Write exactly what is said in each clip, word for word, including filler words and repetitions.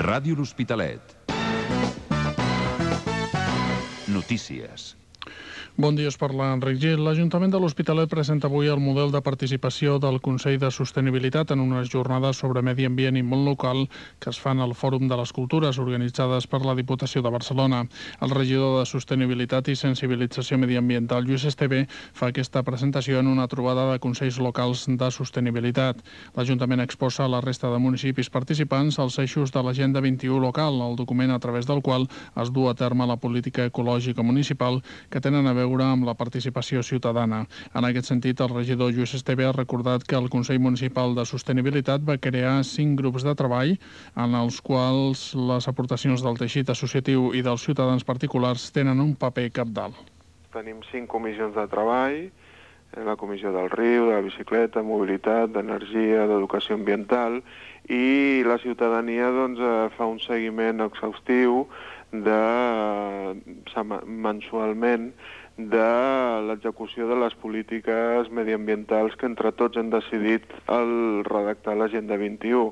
Ràdio L'Hospitalet. Notícies. Bon dia, us parla Enric Gil. L'Ajuntament de l'Hospitalet presenta avui el model de participació del Consell de Sostenibilitat en unes jornades sobre medi ambient i món local que es fan al Fòrum de les Cultures, organitzades per la Diputació de Barcelona. El regidor de Sostenibilitat i Sensibilització Mediambiental, Lluís Esteve, fa aquesta presentació en una trobada de consells locals de sostenibilitat. L'Ajuntament exposa a la resta de municipis participants els eixos de l'Agenda vint-i-u local, el document a través del qual es du a terme la política ecològica municipal que tenen a veure amb la participació ciutadana. En aquest sentit, el regidor Lluís Esteve ha recordat que el Consell Municipal de Sostenibilitat va crear cinc grups de treball en els quals les aportacions del teixit associatiu i dels ciutadans particulars tenen un paper cabdal. Tenim cinc comissions de treball, la comissió del riu, de la bicicleta, mobilitat, d'energia, d'educació ambiental, i la ciutadania doncs, fa un seguiment exhaustiu de, mensualment de l'execució de les polítiques mediambientals que entre tots hem decidit el redactar l'Agenda vint-i-u.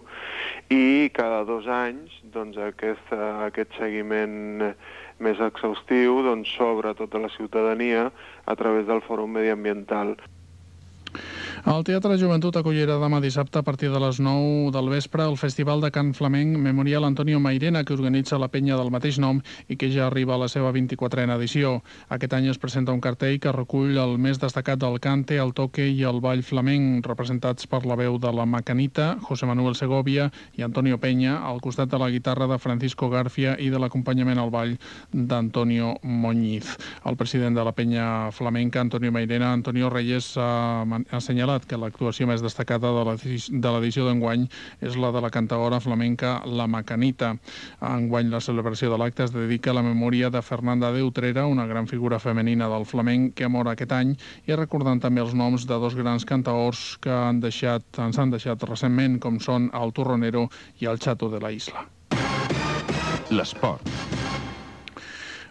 I cada dos anys doncs, aquest, aquest seguiment més exhaustiu doncs, s'obre a tota la ciutadania a través del Fòrum Mediambiental. El Teatre Joventut acollirà demà dissabte a partir de les nou del vespre el Festival de Cant Flamenc Memorial Antonio Mairena, que organitza la penya del mateix nom i que ja arriba a la seva vint-i-quatrena edició. Aquest any es presenta un cartell que recull el més destacat del cante, el toque i el ball flamenc, representats per la veu de la Macanita, José Manuel Segovia i Antonio Peña, al costat de la guitarra de Francisco García i de l'acompanyament al ball d'Antonio Moñiz. El president de la penya flamenca, Antonio Mairena, Antonio Reyes, ha assenyalat que l'actuació més destacada de l'edició d'enguany és la de la cantaora flamenca La Macanita. Enguany la celebració de l'acte es dedica a la memòria de Fernanda de Utrera, una gran figura femenina del flamenc que mor aquest any, i recordant també els noms de dos grans cantaors que han deixat, ens han deixat recentment, com són el Turronero i el Chato de la Isla. L'esport.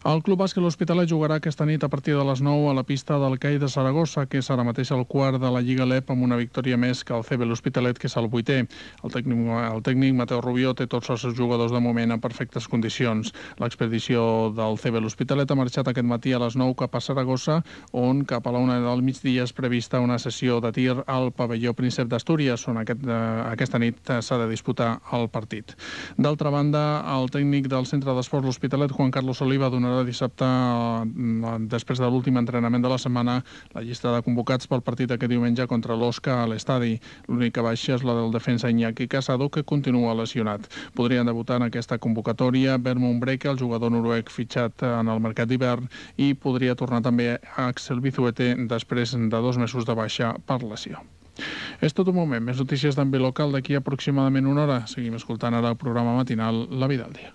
El Club Bàsquet L'Hospitalet jugarà aquesta nit a partir de les nou a la pista del C A I de Saragossa, que és ara mateix el quart de la Lliga L E P, amb una victòria més que el C B L'Hospitalet, que és el vuitè. El tècnic, el tècnic Mateu Rubió té tots els seus jugadors de moment en perfectes condicions. L'expedició del C B L'Hospitalet ha marxat aquest matí a les nou cap a Saragossa, on cap a la una del migdia és prevista una sessió de tir al pavelló Príncep d'Astúries, on aquest, eh, aquesta nit s'ha de disputar el partit. D'altra banda, el tècnic del Centre d'Esports L'Hospitalet, Juan Carlos Oliva, donarà dissabte, després de l'últim entrenament de la setmana, la llista de convocats pel partit aquest diumenge contra l'Osca a l'estadi. L'única baixa és la del defensa Iñaki Casado, que continua lesionat. Podrien debutar en aquesta convocatòria Bermond Breke, el jugador noruec fitxat en el mercat d'hivern, i podria tornar també Axel Bizuete després de dos mesos de baixa per lesió. És tot un moment. Més notícies d'àmbit local d'aquí aproximadament una hora. Seguim escoltant ara el programa matinal La Vida al Dia.